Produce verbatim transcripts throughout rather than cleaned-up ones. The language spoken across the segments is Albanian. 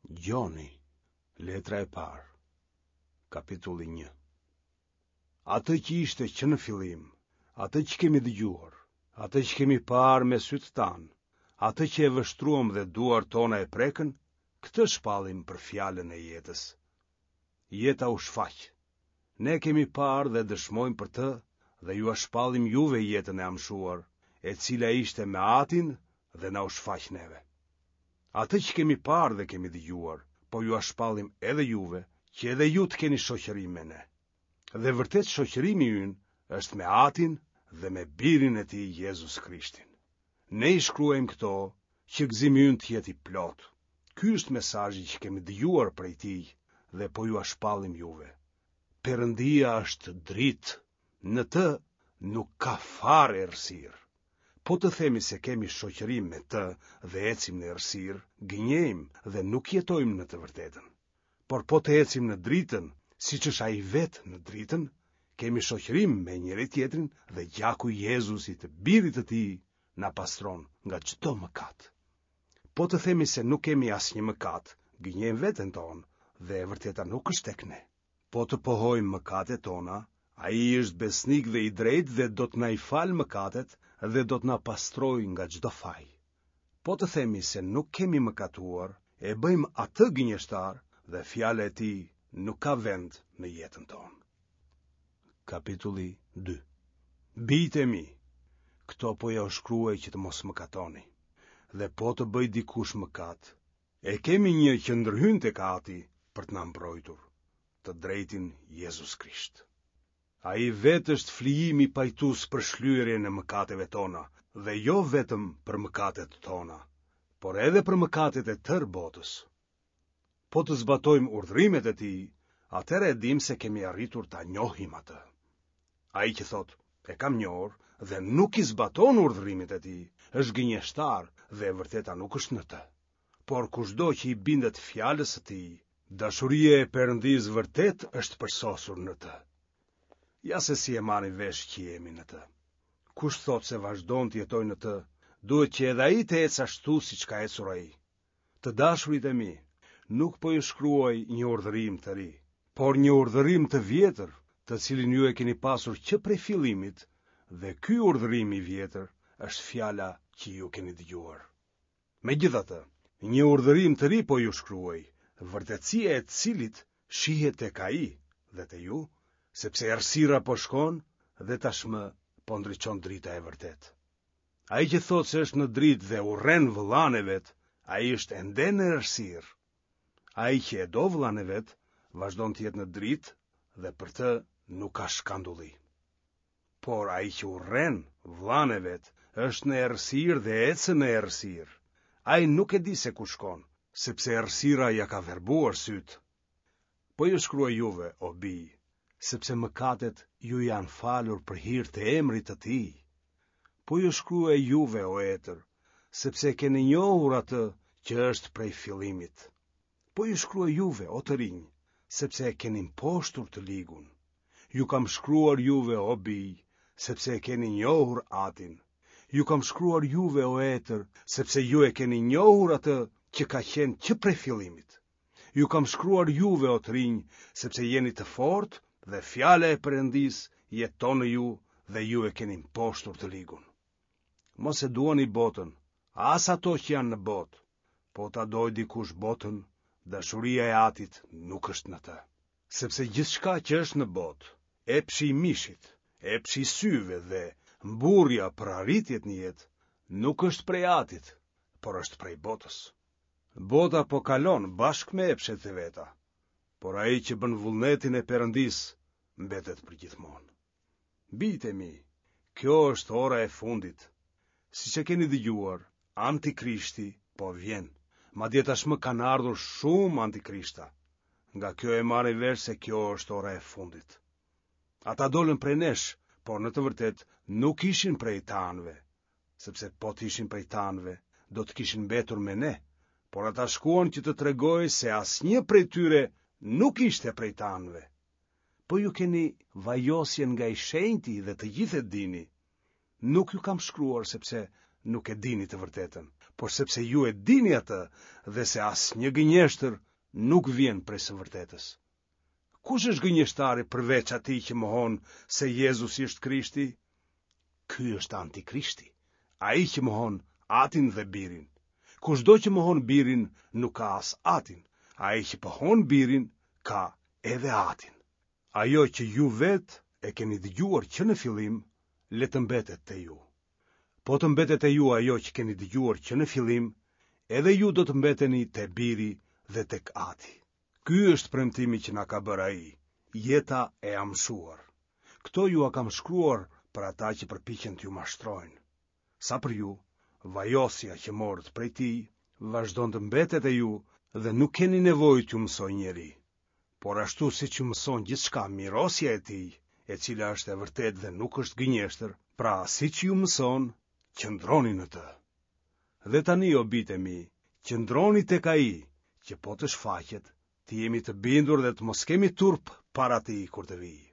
Gjoni, letra e parë, kapitulli një. Atë që ishte që në fillim, atë që kemi dëgjuar, atë që kemi parë me sytë tanë, atë që e vështruam dhe duart tona e prekën, këtë shpallim për fjalën e jetës. Jeta u shfaq. Ne kemi parë dhe dëshmojmë për të dhe jua shpallim juve jetën e amshuar, e cila ishte me Atin dhe na u shfaq neve. Atë që kemi parë dhe kemi dëgjuar, po jua shpallim edhe juve, që edhe ju të keni shoqërim me ne. Dhe vërtet shoqërimi ynë është me Atin dhe me Birin e Tij Jezus Krishtin. Ne i shkruajmë këto që gëzimi ynë të jetë i plotë. Ky është mesazhi që kemi dëgjuar prej Tij dhe po jua shpallim juve. Perëndia është dritë, në të nuk ka fare errësirë. Po të themi se kemi shoqërim me të dhe ecim në errësirë, gënjejmë dhe nuk jetojmë në të vërtetën. Por po të ecim në dritën, siç është ai vetë në dritën, kemi shoqërim me njëri tjetrin dhe gjaku i Jezusit, birit të tij, na pastron nga çdo mëkat. Po të themi se nuk kemi asnjë mëkat, gënjejmë veten tonë dhe e vërteta nuk është tek ne. Po të pohojmë mëkatet tona, ai është besnik dhe i drejtë dhe do të na i falë mëkatet dhe do të na pastrojë nga çdo faj. Po të themi se nuk kemi mëkatuar, e bëjmë atë gënjeshtar dhe fjala e tij nuk ka vend në jetën tonë. Kapitulli dy. Bijtë e mi, këto po jua shkruaj që të mos mëkatoni. Dhe po të bëj dikush mëkat, e kemi një që ndërhyn tek Ati për të na mbrojtur, të drejtin Jezus Krisht. Ai vetë është flijimi pajtues për shlyerjen e mëkateve tona, dhe jo vetëm për mëkatet tona, por edhe për mëkatet e tërë botës. Po të zbatojmë urdhërimet e tij, atëherë e dim se kemi arritur ta njohim atë. Ai që thotë, e kam njohur dhe nuk i zbaton urdhërimet e tij, është gënjeshtar dhe e vërteta nuk është në të. Por kushdo që i bindet fjalës së tij, dashuria e Perëndisë vërtet është përsosur në të. Ja se si e marrin vesh që jemi në të. Kush thotë se vazhdon të jetojë në të, duhet që edhe ai të ecë ashtu siç ka ecur ai. Të dashurit e mi, nuk po ju shkruaj një urdhërim të ri, por një urdhërim të vjetër, të cilin ju e keni pasur që prej fillimit, dhe ky urdhërim i vjetër është fjala që ju keni dëgjuar. Megjithatë, një urdhërim të ri po ju shkruaj, vërtetësia e cilit shihet tek ai dhe te ju, sepse errësira po shkon dhe tashmë po ndriçon drita e vërtetë. Ai që thotë se është në dritë dhe urren vëllanë e vet, ai është ende në errësirë. Ai që e do vëllanë e vet, vazhdon të jetë në dritë dhe për të nuk ka shkandulli. Por ai që urren vëllanë e vet, është në errësirë dhe ecën në errësirë. Ai nuk e di se ku shkon, sepse errësira ja ka verbuar sytë. Po ju shkruaj juve, o bij, sepse mëkatet ju janë falur për hir të emrit të tij. Po ju shkruaj juve, o etër, sepse keni njohur atë që është prej fillimit. Po ju shkruaj juve, o të rinj, sepse e keni mposhtur të ligun. Ju kam shkruar juve, o bij, sepse e keni njohur Atin. Ju kam shkruar juve, o etër, sepse ju e keni njohur atë që ka qenë që prej fillimit. Ju kam shkruar juve, o të rinj, sepse jeni të fortë dhe fjala e Perëndisë jeton në ju dhe ju e keni mposhtur të ligun. Mos e duani botën, as ato që janë në botë. Po ta dojë dikush botën, dashuria e Atit nuk është në të. Sepse gjithçka që është në botë, epshi i mishit, epshi i syve dhe mburrja për arritjet në jetë, nuk është prej Atit, por është prej botës. Bota po kalon bashkë me epshet e veta, por ai që bën vullnetin e Perëndisë mbetet përgjithmonë. Bijtë e mi, kjo është ora e fundit. Siç e keni dëgjuar, Antikrishti po vjen. Madje tashmë kanë ardhur shumë antikrishta. Nga kjo e marrin vesh se kjo është ora e fundit. Ata dolën prej nesh, por në të vërtetë nuk ishin prej tanëve, sepse po të ishin prej tanëve, do të kishin mbetur me ne, por ata shkuan që të tregojë se asnjë prej tyre nuk ishte prej tanëve. Po ju keni vajosjen nga i shenjti dhe të gjithë e dini. Nuk ju kam shkruar sepse nuk e dini të vërtetën, por sepse ju e dini atë dhe se asnjë gënjeshtër nuk vjen prej së vërtetës. Kush është gënjeshtari përveç atij që mohon se Jezusi është Krishti? Ky është antikrishti, ai që mohon Atin dhe Birin. Kushdo që mohon Birin nuk ka as Atin, ai që pohon Birin ka edhe Atin. Ajo që ju vetë e keni dëgjuar që në fillim, le të mbetet te ju. Po të mbetet te ju ajo që keni dëgjuar që në fillim, edhe ju do të mbeteni te Biri dhe tek Ati. Ky është premtimi që na ka bërë ai, jeta e amshuar. Këto jua kam shkruar për ata që përpiqen t'ju mashtrojnë. Sa për ju, vajosja që morët prej tij vazhdon të mbetet te ju dhe nuk keni nevojë t'ju mësojë njeri. Por ashtu siç ju mëson gjithçka mirosja e tij, e cila është e vërtetë dhe nuk është gënjeshtër, pra siç ju mëson, qëndroni në të. Dhe tani, o bijtë e mi, qëndroni tek ai, që po të shfaqet, të jemi të bindur dhe të mos kemi turp para tij kur të vijë.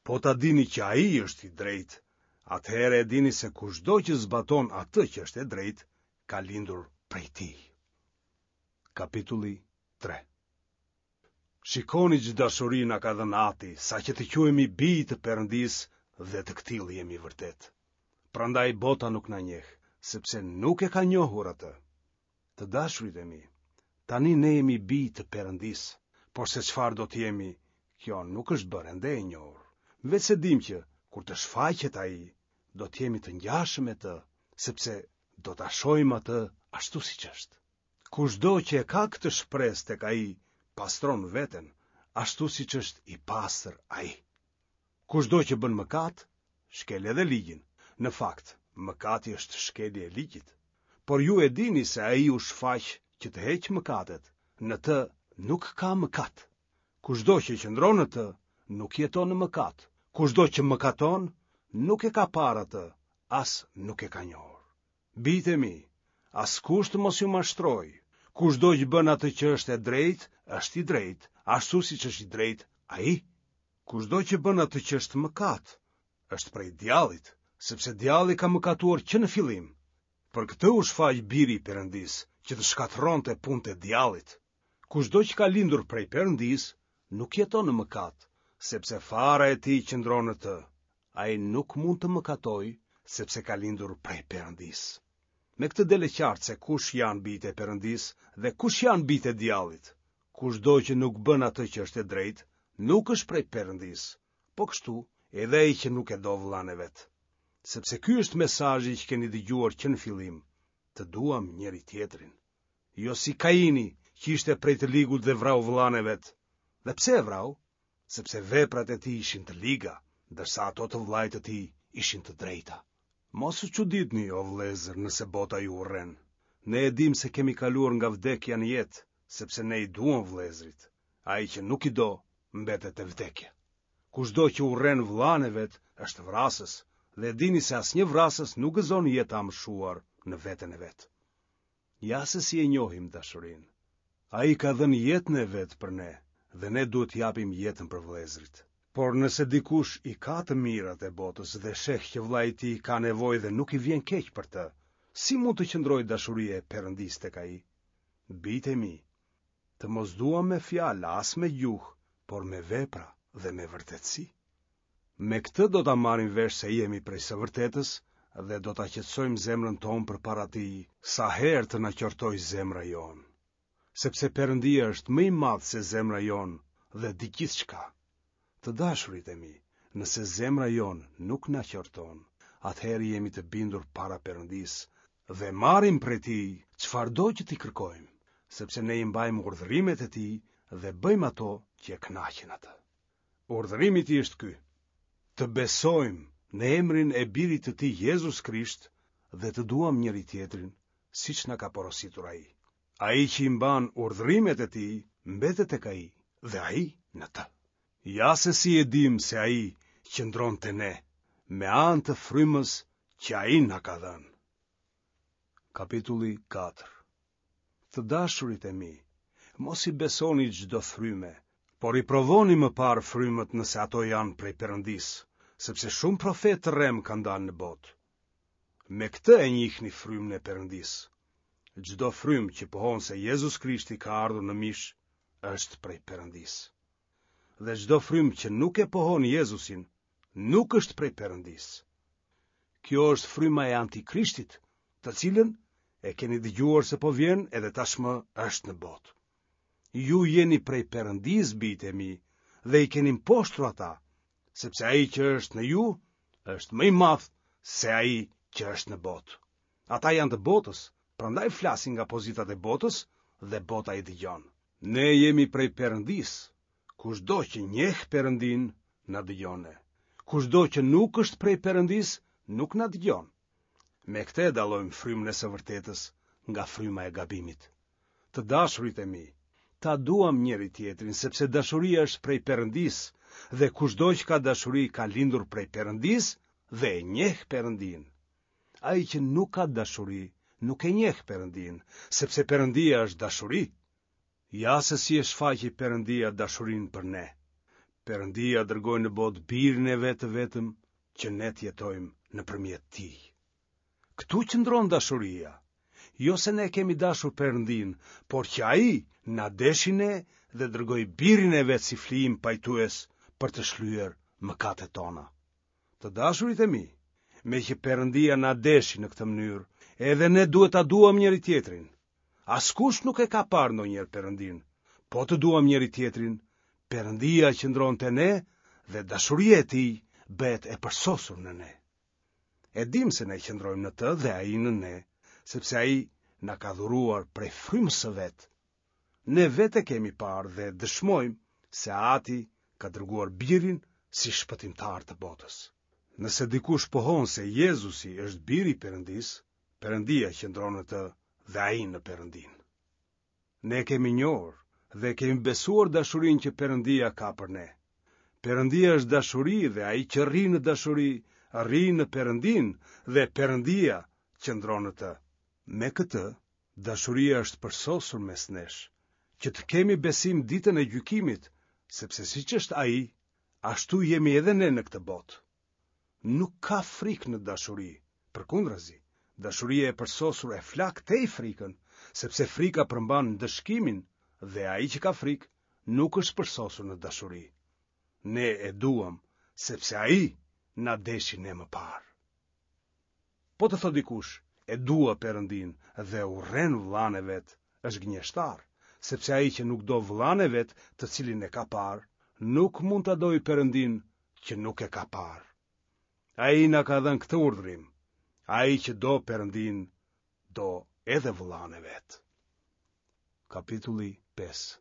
Po ta dini që ai është i drejtë, atëherë e dini se kushdo që zbaton atë që është e drejtë, ka lindur prej tij. Kapitulli tre. Shikoni ç'dashuri na ka dhënë Ati, saqë të quhemi bij të Perëndisë dhe të këtillë jemi vërtet. Prandaj bota nuk na njeh, sepse nuk e ka njohur atë. Të dashurit e mi, tani ne jemi bij të Perëndisë, por se çfarë do të jemi, kjo nuk është bërë ende e njohur. Veçse dimë që, kur të shfaqet ai, do të jemi të ngjashëm me të, sepse do ta shohim atë ashtu siç është. Kushdo që e ka këtë shpresë tek ai, pastron veten, ashtu siç është i pastër ai. Kushdo që bën mëkat, shkel edhe ligjin. Në fakt, mëkati është shkelje e ligjit. Por ju e dini se ai u shfaq që të heqë mëkatet, në të nuk ka mëkat. Kushdo që qëndron në të, nuk jeton në mëkat. Kushdo që mëkaton, nuk e ka parë atë, as nuk e ka njohur. Bijtë e mi, askush të mos ju mashtrojë. Kushdo që bën atë që është e drejtë, është i drejtë, ashtu siç është i drejtë ai. Kushdo që bën atë që është mëkat, është prej djallit, sepse djalli ka mëkatuar që në fillim. Për këtë u shfaq Biri i Perëndisë, që të shkatërronte punët e djallit. Kushdo që ka lindur prej Perëndisë, nuk jeton në mëkat, sepse fara e tij qëndron në të. Ai nuk mund të mëkatojë, sepse ka lindur prej Perëndisë. Me këtë del e qartë se kush janë bijtë e Perëndisë dhe kush janë bijtë e djallit. Kushdo që nuk bën atë që është e drejtë, nuk është prej Perëndisë. Po kështu, edhe ai që nuk e do vëllanë e vet. Sepse ky është mesazhi që keni dëgjuar që në fillim, të duam njëri tjetrin. Jo si Kaini, që ishte prej të ligut dhe vrau vëllanë e vet. Dhe pse e vrau? Sepse veprat e tij ishin të liga, ndërsa ato të vëllait të tij ishin të drejta. Mos u çuditni, o vëllezër, nëse bota ju urren. Ne e dimë se kemi kaluar nga vdekja në jetë, sepse ne i duam vëllezërit. Ai që nuk i do, mbetet e vdekja. Kushdo që urren vëllanë e vet, është vrasës, dhe e dini se asnjë vrasës nuk gëzon jetë të amshuar në veten e vet. Ja se si e njohim dashurinë. Ai ka dhënë jetën e vet për ne, dhe ne duhet të japim jetën për vëllezërit. Por nëse dikush i ka të mirat e botës dhe sheh që vëllai i tij ka nevojë dhe nuk i vjen keq për të, si mund të qëndrojë dashuria e Perëndisë tek ai? Bijtë e mi, të mos duam me fjalë as me gjuhë, por me vepra dhe me vërtetësi. Me këtë do ta marrim vesh se jemi prej së vërtetës dhe do ta qetësojmë zemrën tonë përpara tij sa herë të na qortojë zemra jonë. Sepse Perëndia është më i madh se zemra jonë dhe di gjithçka. Të dashurit e mi, nëse zemra jonë nuk na qorton, atëherë jemi të bindur para Perëndisë dhe marrim prej tij çfarëdo që t'i kërkojmë, sepse ne i mbajmë urdhërimet e tij dhe bëjmë ato që e kënaqin atë. Urdhërimi i tij është ky: të besojmë në emrin e Birit të tij Jezus Krisht dhe të duam njëri tjetrin, siç na ka porositur ai. Ai që i mban urdhërimet e tij, mbetet tek ai dhe ai në të. Ja se si e dim se ai qëndron te ne, me anë të frymës që ai na ka dhënë. Kapitulli katër. Të dashurit e mi, mos i besoni çdo fryme, por i provoni më parë frymët nëse ato janë prej Perëndisë, sepse shumë profetë të rrem kanë dalë në botë. Me këtë e njihni frymën e Perëndisë. Çdo frymë që pohon se Jezus Krishti ka ardhur në mish, është prej Perëndisë. Dhe çdo frymë që nuk e pohon Jezusin, nuk është prej Perëndisë. Kjo është fryma e Antikrishtit, të cilën e keni dëgjuar se po vjen edhe tashmë është në botë. Ju jeni prej Perëndisë, bijtë e mi, dhe i keni mposhtur ata, sepse ai që është në ju është më i madh se ai që është në botë. Ata janë të botës, prandaj flasin nga pozitat e botës dhe bota i dëgjon. Ne jemi prej Perëndisë. Kushdo që njeh Perëndinë, na dëgjon ne. Kushdo që nuk është prej Perëndisë, nuk na dëgjon. Me këtë e dallojmë frymën e së vërtetës nga fryma e gabimit. Të dashurit e mi, ta duam njëri-tjetrin, sepse dashuria është prej Perëndisë, dhe kushdo që ka dashuri ka lindur prej Perëndisë dhe e njeh Perëndinë. Ai që nuk ka dashuri, nuk e njeh Perëndinë, sepse Perëndia është dashuri. Ja se si e shfaqi Perëndia dashurinë për ne. Perëndia dërgoi në botë birin e vet të vetëm që ne të jetojmë nëpërmjet tij. Këtu qëndron dashuria. Jo se ne kemi dashur Perëndinë, por që ai na deshi ne dhe dërgoi birin e vet si flijim pajtues për të shlyer mëkatet tona. Të dashurit e mi, meqë Perëndia na deshi në këtë mënyrë, edhe ne duhet ta duam njëri-tjetrin. Askush nuk e ka parë ndonjëherë Perëndinë. Po të duam njëri-tjetrin, Perëndia qëndron te ne dhe dashuria e tij bëhet e përsosur në ne. E dimë se ne qëndrojmë në të dhe ai në ne, sepse ai na ka dhuruar prej frymës së vet. Ne vetë e kemi parë dhe dëshmojmë se Ati ka dërguar birin si shpëtimtar të botës. Nëse dikush pohon se Jezusi është biri i Perëndisë, Perëndia qëndron në të dhe ai në Perëndinë. Ne kemi njohur dhe kemi besuar dashurinë që Perëndia ka për ne. Perëndia është dashuri dhe ai që rri në dashuri, rri në Perëndinë dhe Perëndia qëndron në të. Me këtë, dashuria është përsosur mes nesh, që të kemi besim ditën e gjykimit, sepse siç është ai, ashtu jemi edhe ne në këtë botë. Nuk ka frikë në dashuri, përkundrazi, dashuria e përsosur e flak tej frikën, sepse frika përmban ndëshkimin dhe ai që ka frikë nuk është përsosur në dashuri. Ne e duam, sepse ai na deshi ne më parë. Po të thotë dikush, e dua Perëndinë dhe urren vëllanë e vet, është gënjeshtar, sepse ai që nuk do vëllanë e vet, të cilin e ka parë, nuk mund ta dojë Perëndinë që nuk e ka parë. Ai na ka dhënë këtë urdhrim. Ai që do Perëndinë, do edhe vëllanë e vet. Kapitulli pesë.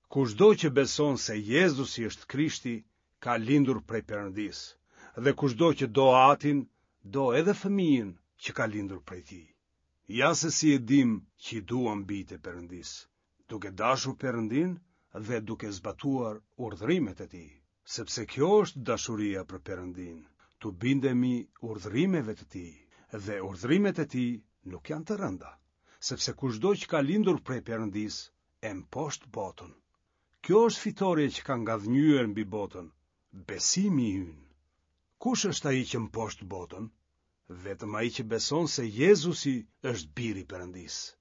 Kushdo që beson se Jezusi është Krishti, ka lindur prej Perëndisë, dhe kushdo që do Atin, do edhe fëmijën që ka lindur prej tij. Ja se si e dim që i duam bijtë e Perëndisë, duke dashur Perëndinë dhe duke zbatuar urdhërimet e tij, sepse kjo është dashuria për Perëndinë, t'u bindemi urdhërimeve të tij, dhe urdhërimet e tij nuk janë të rënda, sepse kushdo që ka lindur prej Perëndisë e mposht botën. Kjo është fitorja që ka ngadhënjyer mbi botën, besimi ynë. Kush është ai që mposht botën? Vetëm ai që beson se Jezusi është biri i Perëndisë.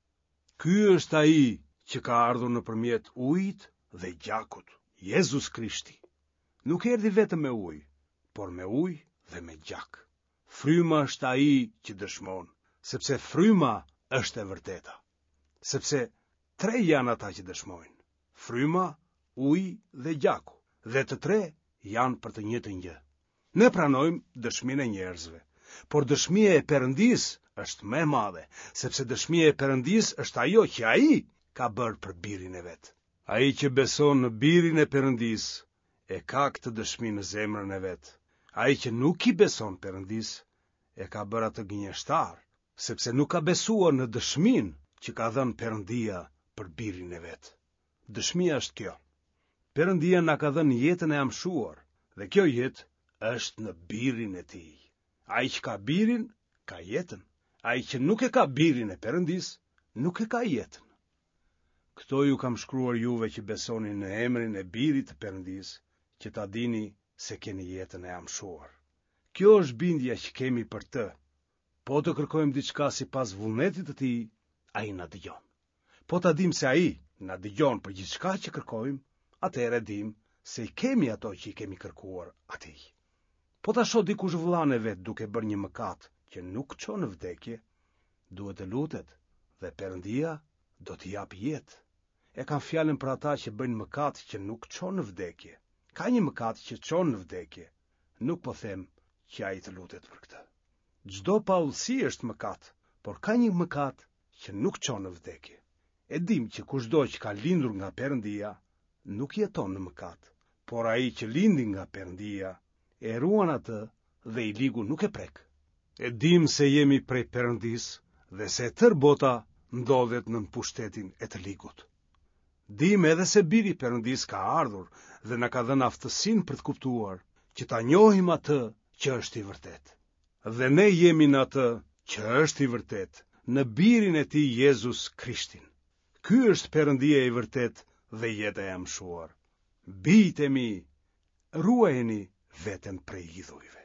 Ky është ai që ka ardhur nëpërmjet ujit dhe gjakut, Jezus Krishti. Nuk erdhi vetëm me ujë, por me ujë dhe me gjak. Fryma është ai që dëshmon, sepse fryma është e vërteta. Sepse tre janë ata që dëshmojnë: fryma, uji dhe gjaku, dhe të tre janë për të njëjtën gjë. Ne pranojmë dëshminë e njerëzve, por dëshmia e Perëndisë është më e madhe, sepse dëshmia e Perëndisë është ajo që ai ka bërë për birin e vet. Ai që beson në birin e Perëndisë e ka këtë dëshmi në zemrën e vet. Ai që nuk i beson Perëndisë e ka bërë atë gënjeshtar, sepse nuk ka besuar në dëshminë që ka dhënë Perëndia për birin e vet. Dëshmia është kjo: Perëndia na ka dhënë jetën e amshuar, dhe kjo jetë është në birin e tij. Ai që ka birin, ka jetën. Ai që nuk e ka birin e Perëndisë, nuk e ka jetën. Këto ju kam shkruar juve që besoni në emrin e birit të Perëndisë, që ta dini se keni jetën e amshuar. Kjo është bindja që kemi për të. Po të kërkojmë diçka sipas vullnetit të tij, ai na dëgjon. Po ta dimë se ai na dëgjon për gjithçka që kërkojmë, atëherë e dimë se i kemi ato që i kemi kërkuar atij. Po ta shohë dikush vëllanë e vet duke bërë një mëkat që nuk çon në vdekje, duhet të lutet dhe Perëndia do t'i japë jetë. E kam fjalën për ata që bëjnë mëkat që nuk çon në vdekje. Ka një mëkat që çon në vdekje. Nuk po them që ai të lutet për këtë. Çdo paudhësi është mëkat, por ka një mëkat që nuk çon në vdekje. E dimë që kushdo që ka lindur nga Perëndia nuk jeton në mëkat, por ai që lindi nga Perëndia e ruan atë dhe i ligu nuk e prek. E dimë se jemi prej Perëndisë dhe se e tërë bota ndodhet nën pushtetin e të ligut. Dimë edhe se Biri i Perëndisë ka ardhur dhe na ka dhënë aftësinë për të kuptuar që ta njohim atë që është i vërtetë. Dhe ne jemi në atë që është i vërtetë, në Birin e tij Jezus Krishtin. Ky është Perëndia i vërtetë dhe jeta e amshuar. Bijtë e mi, ruajeni veten prej idhujve.